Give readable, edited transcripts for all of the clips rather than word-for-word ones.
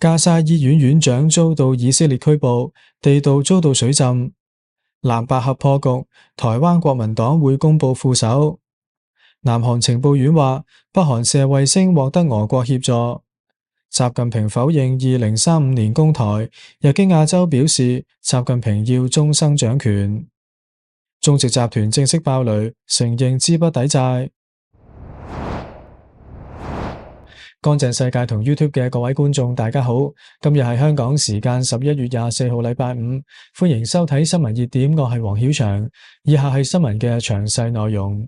加沙醫院院長遭到以色列拘捕，地道遭到水浸。藍白合破局，台灣國民黨會公布副手。南韓情報院話，北韓射衛星獲得俄國協助。習近平否認2035年攻台，日經亞洲表示，習近平要終生掌權。中植集團正式爆雷，承認資不抵債。乾淨世界同 YouTube 嘅各位觀眾，大家好，今日係香港時間11月24號禮拜五，歡迎收睇新聞熱點，我係黃曉翔。以下係新聞嘅詳細內容。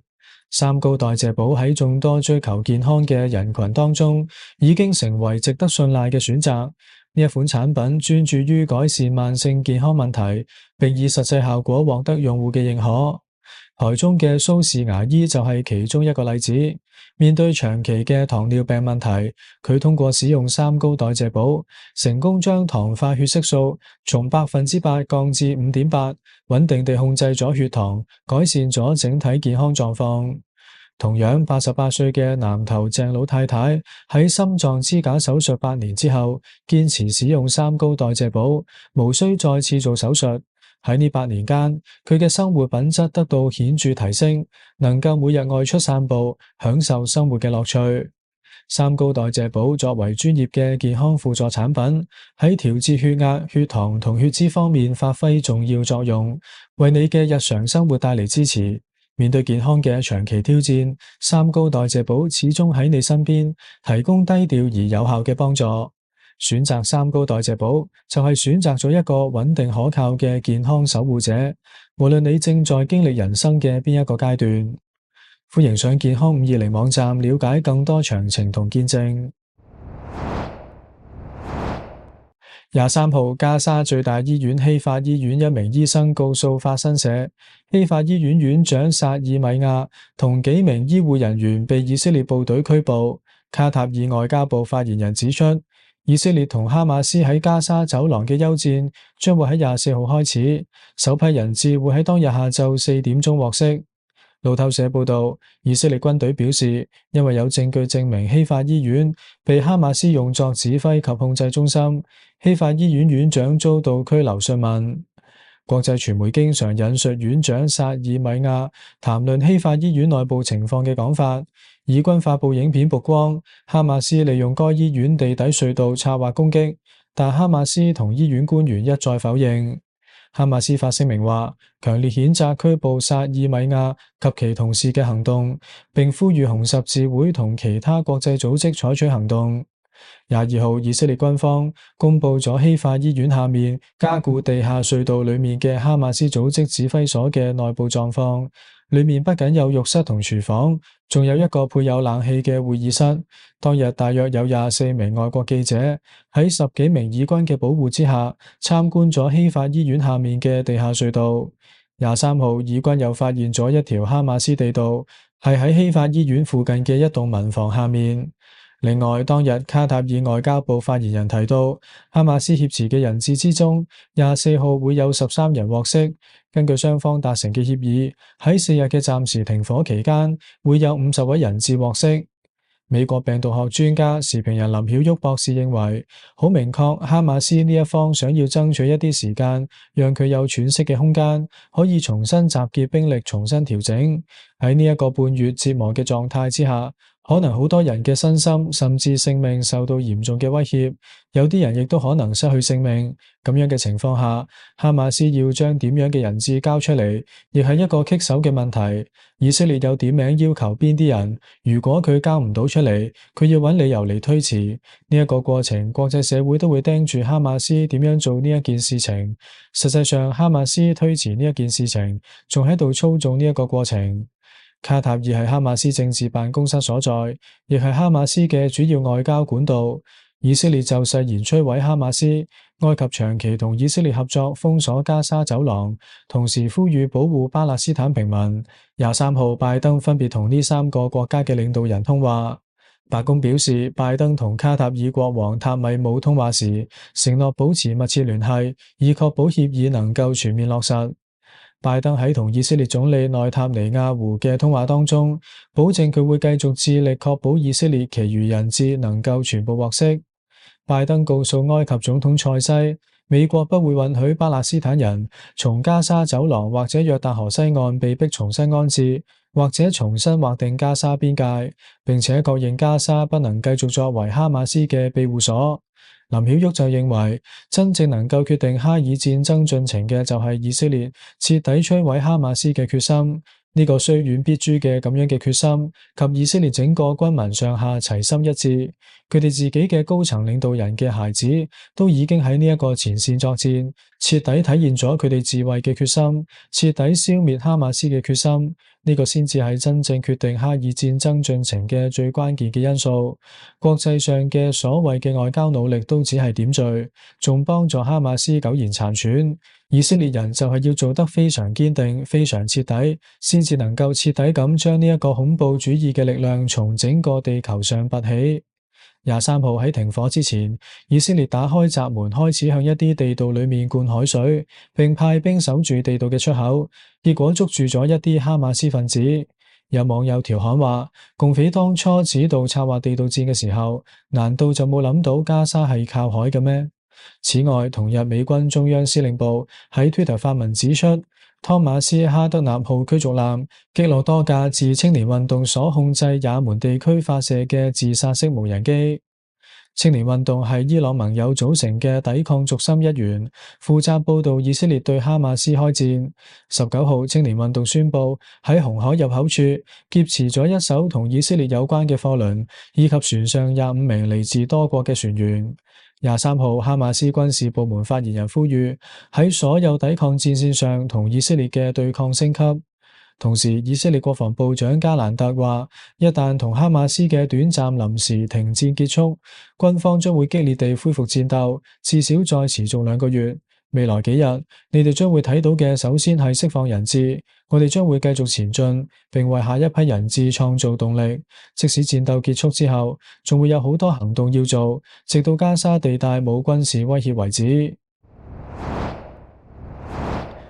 三高代謝寶喺眾多追求健康嘅人群當中，已經成為值得信賴嘅選擇。呢一款產品專注於改善慢性健康問題，並以實際效果獲得用戶嘅認可。台中嘅蘇氏牙醫就係其中一個例子。面對長期嘅糖尿病問題，佢通過使用三高代謝寶，成功將糖化血色素從8%降至5.8%，穩定地控制咗血糖，改善咗整體健康狀況。同樣88歲嘅南投鄭老太太喺心臟支架手術8年之後，堅持使用三高代謝寶，無需再次做手術。喺呢8年間，佢嘅生活品質得到顯著提升，能夠每日外出散步，享受生活嘅樂趣。三高代謝寶作為專業嘅健康輔助產品，喺調節血壓、血糖同血脂方面發揮重要作用，為你嘅日常生活帶嚟支持。面對健康嘅長期挑戰，三高代謝寶始終喺你身邊，提供低調而有效嘅幫助。選擇三高代謝寶就係選擇咗一個穩定可靠嘅健康守護者，無論你正在經歷人生嘅邊一個階段。歡迎上健康520網站了解更多詳情同見證。23號，加沙最大醫院希法醫院一名醫生告訴法新社，希法醫院院長薩爾米亞同幾名醫護人員被以色列部隊拘捕。卡塔爾外交部發言人指出，以色列同哈馬斯喺加沙走廊嘅休戰將會喺24號開始，首批人質會喺當日下晝4點鐘獲釋。路透社報道，以色列軍隊表示，因為有證據證明希法醫院被哈馬斯用作指揮及控制中心，希法醫院院長遭到拘留訊問。國際傳媒經常引述院長薩爾米亞談論希法醫院內部情況嘅講法。以軍發布影片曝光，哈馬斯利用該醫院地底隧道策劃攻擊，但哈馬斯同醫院官員一再否認。哈馬斯發聲明話，強烈譴責拘捕薩爾米亞及其同事嘅行動，並呼籲紅十字會同其他國際組織採取行動。22號，以色列軍方公布咗希法醫院下面加固地下隧道裏面嘅哈馬斯組織指揮所嘅內部狀況。裏面不僅有浴室同廚房，仲有一個配有冷氣嘅會議室。當日大約有24名外國記者喺10幾名以軍嘅保護之下參觀咗希法醫院下面嘅地下隧道。23號，以軍又發現咗一條哈馬斯地道，係喺希法醫院附近嘅一棟民房下面。另外，當日卡塔爾外交部發言人提到，哈馬斯挾持嘅人質之中，24號會有13人獲釋。根據雙方達成嘅協議，喺4日嘅暫時停火期間，會有50位人質獲釋。美國病毒學專家時評人林曉旭博士認為，好明確，哈馬斯呢一方想要爭取一啲時間，讓佢有喘息嘅空間，可以重新集結兵力，重新調整。喺呢一個半月折磨嘅狀態之下，可能好多人嘅身心甚至性命受到嚴重嘅威脅，有啲人亦都可能失去性命。咁樣嘅情況下，哈馬斯要將點樣嘅人質交出嚟，亦係一個棘手嘅問題。以色列有點名要求邊啲人，如果佢交唔到出嚟，佢要揾理由嚟推遲。呢一個過程，國際社會都會盯住哈馬斯點樣做呢一件事情。實際上，哈馬斯推遲呢一件事情，仲喺度操縱呢一個過程。卡塔爾係哈馬斯政治辦公室所在，亦係哈馬斯嘅主要外交管道。以色列就誓言摧毀哈馬斯，埃及長期同以色列合作封鎖加沙走廊，同時呼籲保護巴勒斯坦平民。23號，拜登分別同呢3個國家嘅領導人通話。白宮表示，拜登同卡塔爾國王塔米姆通話時，承諾保持密切聯繫，以確保協議能夠全面落實。拜登喺同以色列總理內塔尼亞胡嘅通話當中，保證佢會繼續致力確保以色列其餘人質能夠全部獲釋。拜登告訴埃及總統塞西，美國不會允許巴勒斯坦人從加沙走廊或者約旦河西岸被迫重新安置，或者重新劃定加沙邊界，並且確認加沙不能繼續作為哈馬斯嘅庇護所。林曉旭就認為，真正能夠決定哈以戰爭進程嘅就係以色列徹底摧毀哈馬斯嘅決心。呢個雖遠必誅嘅咁樣嘅決心，及以色列整個軍民上下齊心一致，佢哋自己嘅高層領導人嘅孩子都已經喺呢一個前線作戰，徹底體現咗佢哋自衛嘅決心，徹底消滅哈馬斯嘅決心。呢個先至係真正決定哈以戰爭進程嘅最關鍵嘅因素。國際上嘅所謂嘅外交努力都只係點綴，仲幫助哈馬斯苟延殘喘。以色列人就係要做得非常堅定、非常徹底，先至能夠徹底咁將呢一個恐怖主義嘅力量從整個地球上拔起。23號喺停火之前，以色列打開閘門，開始向一啲地道裏面灌海水，並派兵守住地道嘅出口，結果捉住咗一啲哈馬斯分子。有網友調侃話，共匪當初指導策劃地道戰嘅時候，難道就冇諗到加沙係靠海嘅咩？此外，同日美軍中央司令部喺 Twitter 發文指出，湯馬斯哈德納號驅逐艦擊落多架自青年運動所控制也門地區發射嘅自殺式無人機。青年運動係伊朗盟友組成嘅抵抗軸心一員，負責報導以色列對哈馬斯開戰。19號，青年運動宣布喺紅海入口處劫持咗一艘同以色列有關嘅貨輪，以及船上25名嚟自多國嘅船員。23號，哈馬斯軍事部門發言人呼籲喺所有抵抗戰線上同以色列嘅對抗升級。同時，以色列國防部長加蘭特話，一旦同哈馬斯嘅短暫臨時停戰結束，軍方將會激烈地恢復戰鬥，至少再持續2個月。未來幾日，你哋將會睇到嘅，首先係釋放人質，我哋將會繼續前進，並為下一批人質創造動力。即使戰鬥結束之後，仲會有好多行動要做，直到加沙地帶冇軍事威脅為止。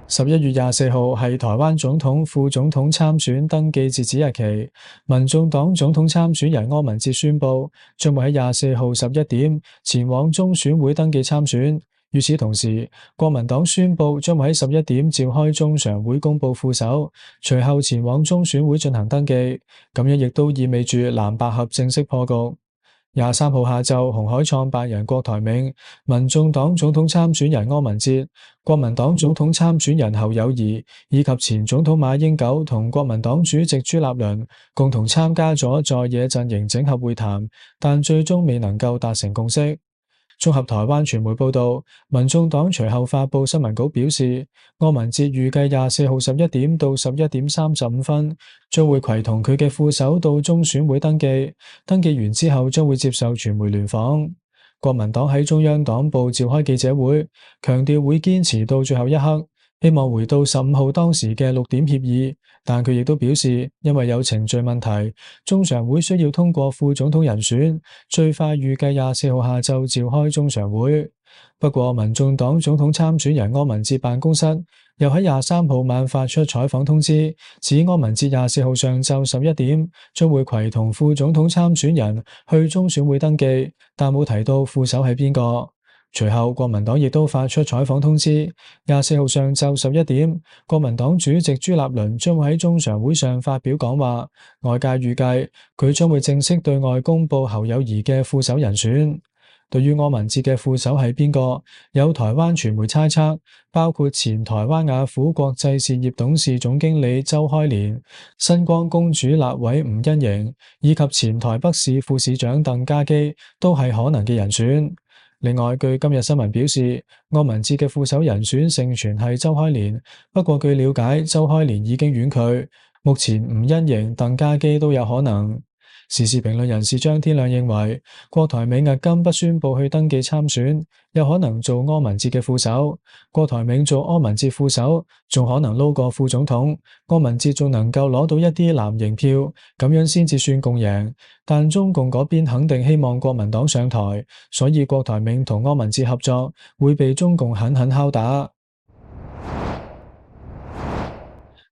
11月24號係台灣總統、副總統參選登記截止日期。民眾黨總統參選人柯文哲宣布，將會喺24號11點前往中選會登記參選。與此同時，國民黨宣布將會喺11點召開中常會公布副手，隨後前往中選會進行登記。咁樣亦都意味住藍白合正式破局。23號下晝，鴻海創辦人郭台銘、民眾黨總統參選人柯文哲、國民黨總統參選人侯友宜以及前總統馬英九同國民黨主席朱立倫共同參加咗在野陣營整合會談，但最終未能夠達成共識。綜合台灣傳媒報道，民眾黨隨後發佈新聞稿表示，柯文哲預計24號11點到11點35分將會攜同佢嘅副手到中選會登記，登記完之後將會接受傳媒聯訪。國民黨喺中央黨部召開記者會，強調會堅持到最後一刻，希望回到15號當時嘅6點協議，但佢亦都表示，因為有程序問題，中常會需要通過副總統人選，最快預計24號下晝召開中常會。不過，民眾黨總統參選人柯文哲辦公室又喺23號晚發出採訪通知，指柯文哲24號上晝11點將會攜同副總統參選人去中選會登記，但冇提到副手係邊個。隨後，國民黨亦都發出採訪通知，24號上晝11點，國民黨主席朱立倫將會喺中常會上發表講話，外界預計佢將會正式對外公布侯友宜嘅副手人選。對於柯文哲嘅副手係邊個，有台灣傳媒猜測，包括前台灣雅虎國際事業董事總經理周開蓮、新光公主立委吳欣盈以及前台北市副市長鄧家基都係可能嘅人選。另外，據今日新聞表示，柯文哲嘅副手人選盛傳係周開蓮，不過據了解，周開蓮已經婉拒，目前吳欣盈、鄧家基都有可能。時事評論人士張天亮認為，郭台銘迄今不宣布去登記參選，有可能做柯文哲嘅副手。郭台銘做柯文哲副手，仲可能撈過副總統，柯文哲仲能夠攞到一啲藍營票，咁樣先至算共贏。但中共嗰邊肯定希望國民黨上台，所以郭台銘同柯文哲合作會被中共狠狠敲打。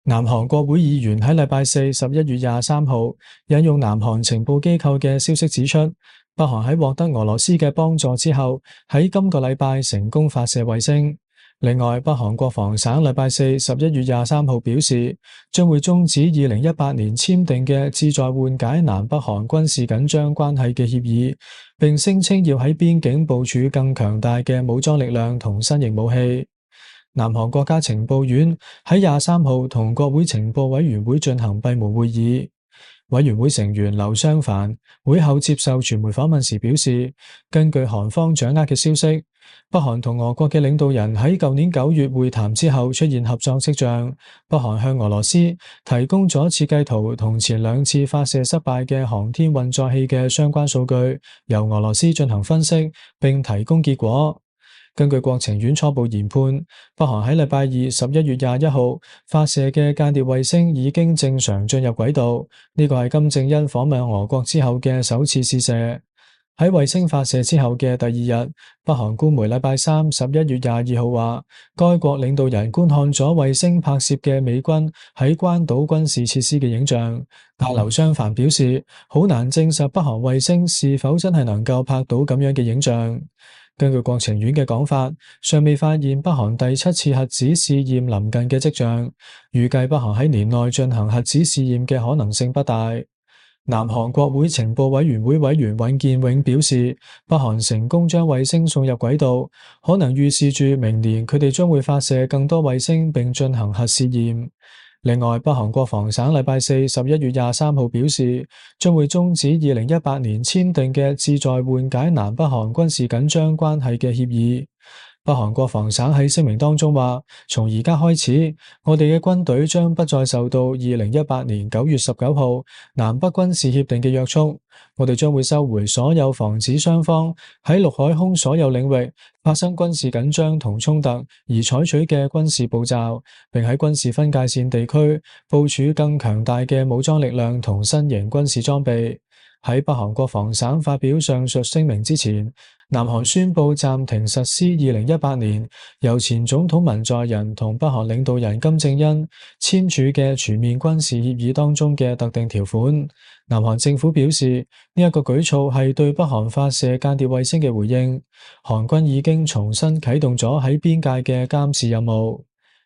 南韓國會議員喺禮拜四11月23號引用南韓情報機構嘅消息指出，北韓喺獲得俄羅斯嘅幫助之後，喺今個禮拜成功發射衛星。另外，北韓國防省禮拜四11月23號表示，將會終止2018年簽訂嘅旨在緩解南北韓軍事緊張關係嘅協議，並聲稱要喺邊境部署更強大嘅武裝力量同新型武器。南韓國家情報院喺23號同國會情報委員會進行閉門會議。委員會成員劉湘凡會後接受傳媒訪問時表示，根據韓方掌握嘅消息，北韓同俄國嘅領導人喺舊年9月會談之後出現合作跡象。北韓向俄羅斯提供咗設計圖同前2次發射失敗嘅航天運載器嘅相關數據，由俄羅斯進行分析並提供結果。根據國情院初步研判，北韓喺禮拜二11月21號發射嘅間諜衛星已經正常進入軌道，呢個係金正恩訪問俄國之後嘅首次試射。喺衛星發射之後嘅第2日，北韓官媒禮拜三11月22號話，該國領導人觀看咗衛星拍攝嘅美軍喺關島軍事設施嘅影像，但劉湘凡表示，好難證實北韓衛星是否真係能夠拍到咁樣嘅影像。根據國情院嘅講法，尚未發現北韓第7次核子試驗臨近嘅跡象，預計北韓喺年內進行核子試驗嘅可能性不大。南韓國會情報委員會委員尹建永表示，北韓成功將衛星送入軌道，可能預示住明年佢哋將會發射更多衛星並進行核試驗。另外，北韓國防省禮拜四11月23號表示，將會終止2018年簽訂嘅旨在緩解南北韓軍事緊張關係嘅協議。北韓國防省喺聲明當中話，從而家開始，我哋嘅軍隊將不再受到2018年9月19號南北軍事協定嘅約束。我哋將會收回所有防止雙方喺陸海空所有領域發生軍事緊張同衝突而採取嘅軍事步驟，並喺軍事分界線地區部署更強大嘅武裝力量同新型軍事裝備。喺北韓國防省發表上述聲明之前，南韓宣布暫停實施2018年由前總統文在寅同北韓領導人金正恩簽署嘅全面軍事協議當中嘅特定條款。南韓政府表示，呢一個舉措係對北韓發射間諜衛星嘅回應。韓軍已經重新啟動咗喺邊界嘅監視任務。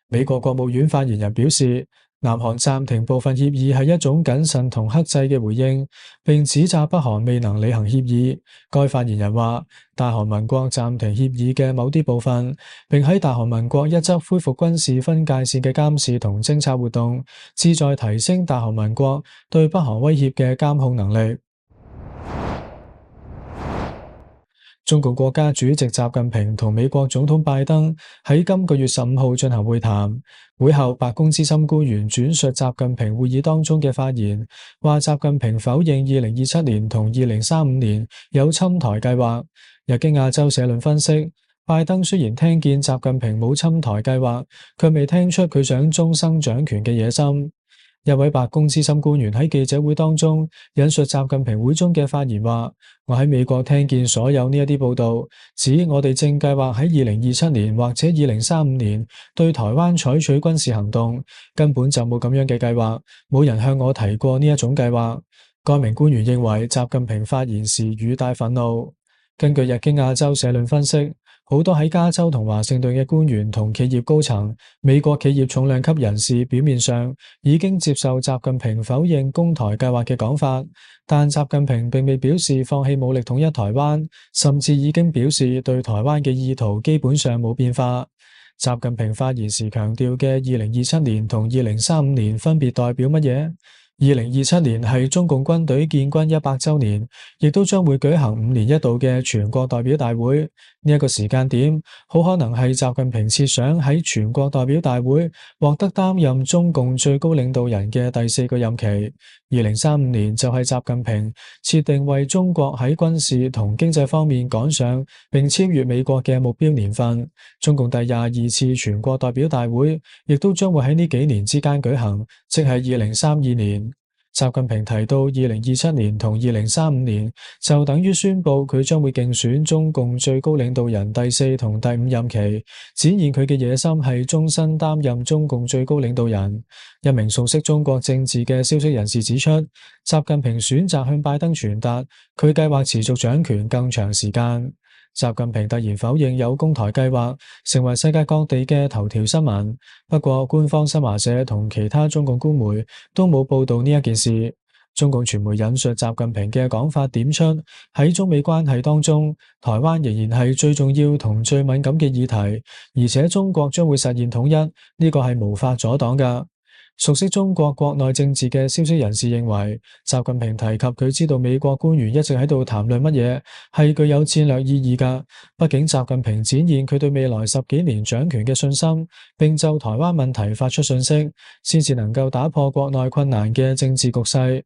美國國務院發言人表示，南韓暫停部分協議係一種謹慎同克制嘅回應，並指責北韓未能履行協議。該發言人話，大韓民國暫停協議嘅某啲部分，並喺大韓民國一側恢復軍事分界線嘅監視同偵察活動，旨在提升大韓民國對北韓威脅嘅監控能力。中共國家主席習近平同美國總統拜登喺今個月15號進行會談。會後，白宮資深官員轉述習近平會議當中嘅發言，話習近平否認2027年同2035年有侵台計劃。日經亞洲社論分析，拜登雖然聽見習近平冇侵台計劃，卻未聽出佢想終生掌權嘅野心。一位白宮資深官員喺記者會當中引述習近平會中嘅發言話，我喺美國聽見所有呢一啲報道，指我哋正計劃喺2027年或者2035年對台灣採取軍事行動，根本就冇咁樣嘅計劃，冇人向我提過呢一種計劃。該名官員認為習近平發言時語帶憤怒。根據日經亞洲社論分析，好多喺加州同華盛頓嘅官員同企業高層、美國企業重量級人士表面上已經接受習近平否認攻台計劃嘅講法，但習近平並未表示放棄武力統一台灣，甚至已經表示對台灣嘅意圖基本上冇變化。習近平發言時強調嘅2027年同2035年分別代表乜嘢？2027年係中共軍隊建軍100週年，亦都將會舉行5年一度嘅全國代表大會。呢一個時間點，好可能係習近平設想喺全國代表大會獲得擔任中共最高領導人嘅第4個任期。2035年就係習近平設定為中國喺軍事同經濟方面趕上並超越美國嘅目標年份。中共第22次全國代表大會亦都將會喺呢幾年之間舉行，即係2032年。習近平提到2027年同2035年就等於宣布佢將會競選中共最高領導人第4同第5任期，展現佢嘅野心係終身擔任中共最高領導人。一名熟悉中國政治嘅消息人士指出，習近平選擇向拜登傳達佢計劃持續掌權更長時間。習近平突然否認有攻台計劃，成為世界各地嘅頭條新聞。不過，官方新華社同其他中共官媒都冇報道呢一件事。中共傳媒引述習近平嘅講法，點出喺中美關係當中，台灣仍然係最重要同最敏感嘅議題，而且中國將會實現統一，呢個係無法阻擋㗎。熟悉中國國內政治嘅消息人士認為，習近平提及佢知道美國官員一直喺度談論乜嘢，係具有戰略意義㗎。畢竟習近平展現佢對未來10幾年掌權嘅信心，並就台灣問題發出訊息，先至能夠打破國內困難嘅政治局勢。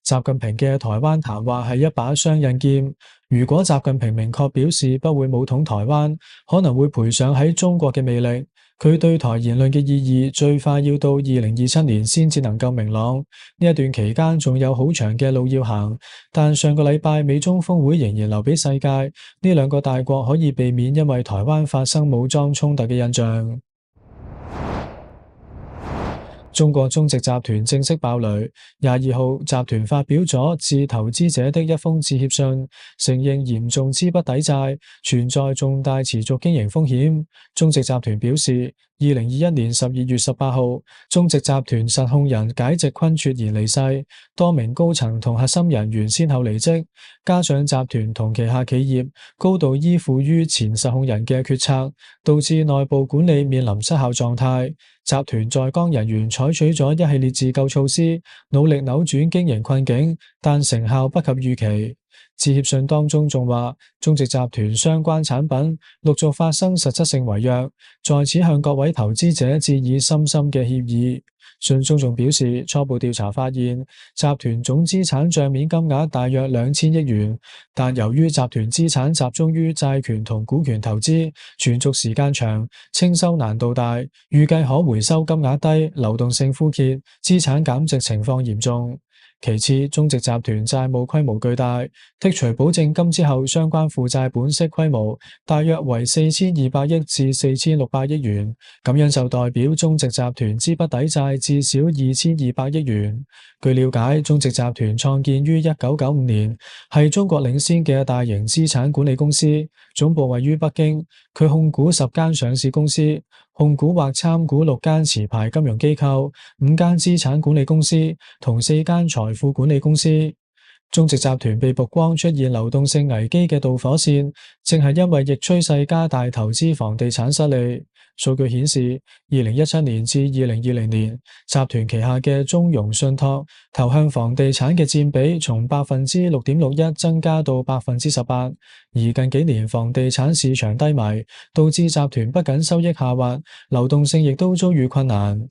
習近平嘅台灣談話係一把雙刃劍，如果習近平明確表示不會武統台灣，可能會賠上喺中國嘅魅力。佢對台言論嘅意義最快要到2027年先至能夠明朗，呢一段期間仲有好長嘅路要行。但上個禮拜美中峰會仍然留俾世界呢兩個大國可以避免因為台灣發生武裝衝突嘅印象。中國中植集團正式爆雷。22號，集團發表咗致投資者的一封致歉信，承認嚴重資不抵債，存在重大持續經營風險。中植集團表示，2021年12月18號，中植集團實控人解植坤猝然離世，多名高層同核心人員先後離職，加上集團同旗下企業高度依附於前實控人嘅決策，導致內部管理面臨失效狀態。集團在崗人員採取咗一系列自救措施，努力扭轉經營困境，但成效不及預期。致歉信當中仲話，中植集團相關產品陸續發生實質性違約，在此向各位投資者致以深深嘅歉意。信中仲表示，初步調查發現，集團總資產賬面金額大約2000億元，但由於集團資產集中於債權同股權投資，存續時間長，清收難度大，預計可回收金額低，流動性枯竭，資產減值情況嚴重。其次，中植集團債務規模巨大，剔除保證金之後，相關負債本息規模大約為4200億至4600億元，咁樣就代表中植集團資不抵債至少2200億元。據了解，中植集團創建於1995年，係中國領先嘅大型資產管理公司，總部位於北京。佢控股10間上市公司，控股或參股6間持牌金融機構、5間資產管理公司同4間財富管理公司。中植集團被曝光出現流動性危機嘅導火線，正係因為逆趨勢加大投資房地產失利。數據顯示，2017年至2020年，集團旗下嘅中融信託投向房地產嘅佔比從6.61%增加到18%，而近幾年房地產市場低迷，導致集團不僅收益下滑，流動性亦都遭遇困難。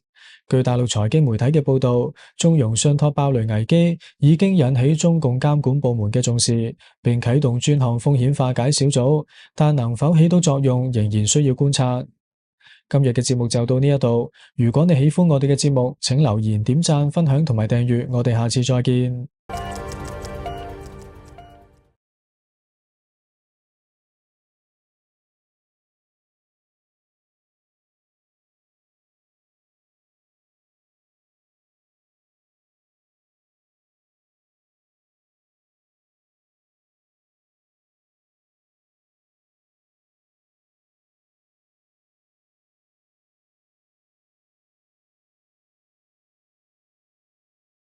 據大陸財經媒體嘅報道，中融信託爆雷危機已經引起中共監管部門嘅重視，並啟動專項風險化解小組，但能否起到作用，仍然需要觀察。今日嘅節目就到呢一度，如果你喜歡我哋嘅節目，請留言、點讚、分享同埋訂閱，我哋下次再見。